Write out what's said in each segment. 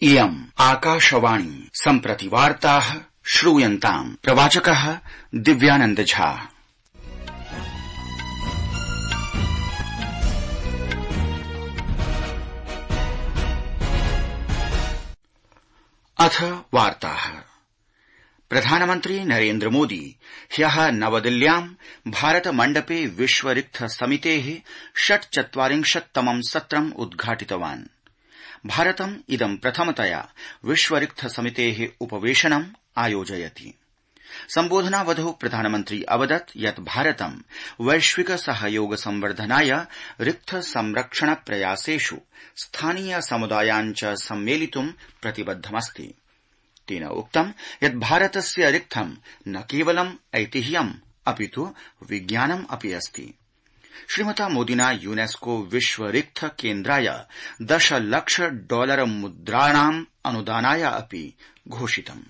इयम् आकाशवाणी सम्प्रति वार्ताः श्रूयन्ताम्। प्रवाचकः दिव्यानन्द झा। अथ वार्ताः। प्रधानमन्त्री नरेन्द्र मोदी ह्यः नवदिल्ल्याम् भारत मण्डपे विश्व रिक्त समितेः 46तमं सत्रम् उद्घाटितवान्। भारतम् इदं प्रथमतया विश्व रिक्त समितेः उपवेशनम् आयोजयति। सम्बोधनावधौ प्रधानमन्त्री अवदत् यत् भारतं वैश्विक सहयोग संवर्धनाय रिक्त संरक्षण प्रयासेषु स्थानीय समुदायान् च सम्मेलितुं प्रतिबद्धमस्ति। तेन उक्तं यत् भारतस्य रिक्थं न केवलम् ऐतिह्यम् अपितु विज्ञानम् अपि अस्ति। श्रीमता मोदिना यूनेस्को विश्व रिक्त केन्द्राय $10 लाख मुद्राणाम् अनुदानाय अपि घोषितम्।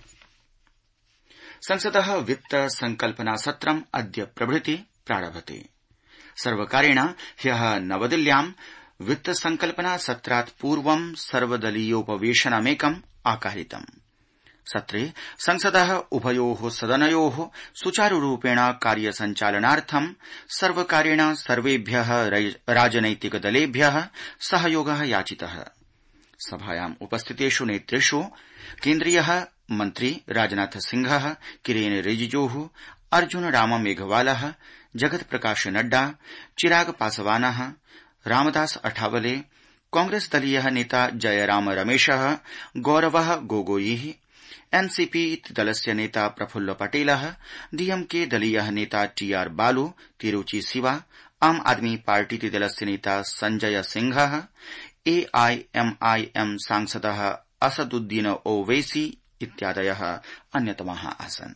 संसदः वित्त संकल्पना सत्रम् अद्य प्रभृति प्रारभते। सर्वकारेण ह्यः नवदिल्ल्याम् वित्त संकल्पना सत्रात् पूर्वं सर्वदलीयोपवेशनमेकम् आकारितम्। सत्रे संसदः उभयोः सदनयोः सुचारुरूपेण कार्यसञ्चालनार्थं सर्वकारेण सर्वेभ्यः राजनैतिक दलेभ्यः सहयोगः याचितः। सभायाम् उपस्थितेषु नेतृषु केन्द्रीयः मन्त्री राजनाथ सिंहः, किरेन रिजिजूः, अर्जुन राम मेघवालः, जगत्प्रकाश नड्डा, चिराग पासवानः, रामदास अठावले, कांग्रेस दलीयः नेता जयराम रमेशः, गौरवः गोगोई, एनसीपी दलस्य नेता प्रफुल्ल पटेलः, डीएमके दलीयः नेता टीआर बालू, तिरुचि शिवा, आम आदमी पार्टी दलस्य नेता संजय सिंहः, एआईएमआईएम सांसदः असदुद्दीन ओवैसी इत्यादयः अन्यतमाः आसन्।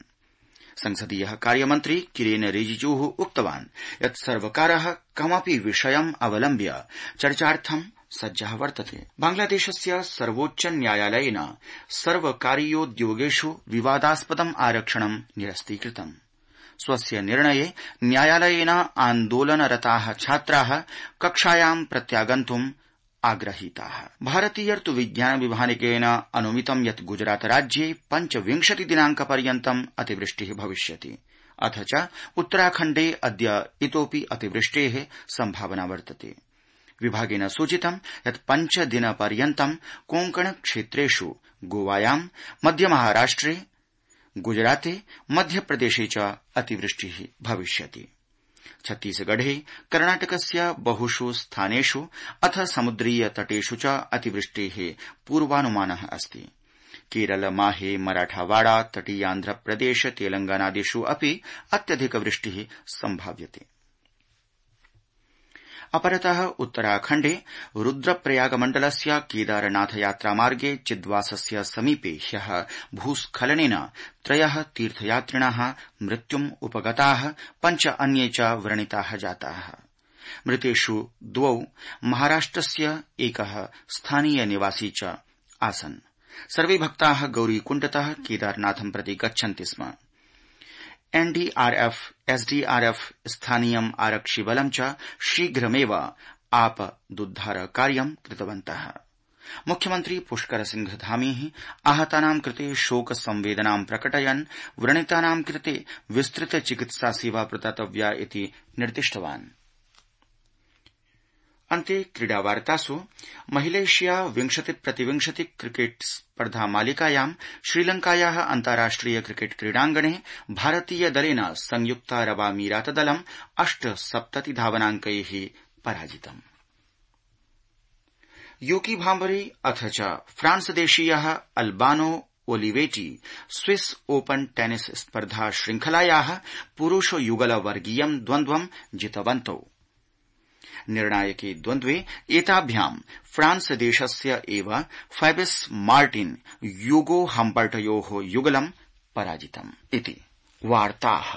संसदीय कार्यमन्त्री किरेन रिजिजूः उक्तवान् यत् सर्वकारः कमपि विषयम् अवलम्ब्य चर्चार्थं सज्जः वर्तते। बांग्लादेशस्य सर्वोच्च न्यायालयेन सर्वकारीयोद्योगेषु विवादास्पदम् आरक्षणं निरस्तीकृतम्। स्वस्य निर्णये न्यायालयेन आन्दोलनरताः छात्राः कक्षायां प्रत्यागन्तुम् आग्रहीताः। भारतीय ऋतुविज्ञान विभागेन अनुमितं यत् गुजरात राज्ये 25 दिनांकपर्यन्तम् अतिवृष्टिः भविष्यति। अथ च उत्तराखण्डे अद्य इतोऽपि अतिवृष्टेः सम्भावना वर्तते। विभागेन सूचितं यत् 5 दिनपर्यन्तं कोंकण क्षेत्रेषु गोवायां, मध्यमहाराष्ट्रे, गुजराते, मध्यप्रदेशे च अतिवृष्टिः भविष्यति। छत्तीसगढ़े, कर्णाटकस्य बहुषु स्थानेषु अथ समुद्रीय तटेषु च अतिवृष्टेः पूर्वानुमानः अस्ति। केरल, माहे, मराठावाड़ा, तटीयान्ध्रप्रदेश, तेलंगानादिषु अपि अत्यधिक वृष्टिः सम्भाव्यते। अपरतः उत्तराखण्डे रुद्रप्रयाग मण्डलस्य केदारनाथ यात्रामार्गे चिद्वासस्य समीपे ह्यः भूस्खलनेन 3 तीर्थयात्रिणः मृत्युम् उपगताः, 5 अन्ये च व्रणिताः जाताः। मृतेषु 2 महाराष्ट्रस्य, 1 स्थानीय निवासी च आसन्। सर्वे भक्ताः गौरीकुण्डतः केदारनाथं प्रति गच्छन्ति स्म। एनडीआरएफ, एसडीआरएफ, स्थानीयम् आरक्षिबलं च शीघ्रमेव आपदुद्धार कार्यं कृतवन्तः। मुख्यमन्त्री पुष्कर सिंह धामी आहतानां कृते शोक संवेदनां प्रकटयन् व्रणितानां कृते विस्तृत चिकित्सा सेवा प्रदातव्या इति निर्दिष्टवान्। अन्ते क्रीडावार्तासु महिलेष्या 20-20 क्रिकेट स्पर्धा मालिकायां श्रीलंकायाः अन्ताराष्ट्रिय क्रिकेट क्रीडाङ्गणे भारतीय दलेन संयुक्त अरब अमीरात दलं 78 धावनाङ्कैः पराजितम्। यूकी भाम्बरी अथ च फ्रांस देशीयः Albano Olivetti Swiss Open tennis स्पर्धा श्रृंखलायाः पुरुष युगल वर्गीयं द्वन्द्वं जितवन्तौ। निर्णायके द्वन्द्वे एताभ्यां फ्रांस देशस्य एव फैबिस मार्टिन यूगो हम्पर्टयोः युगलं पराजितम् इति वार्ताः।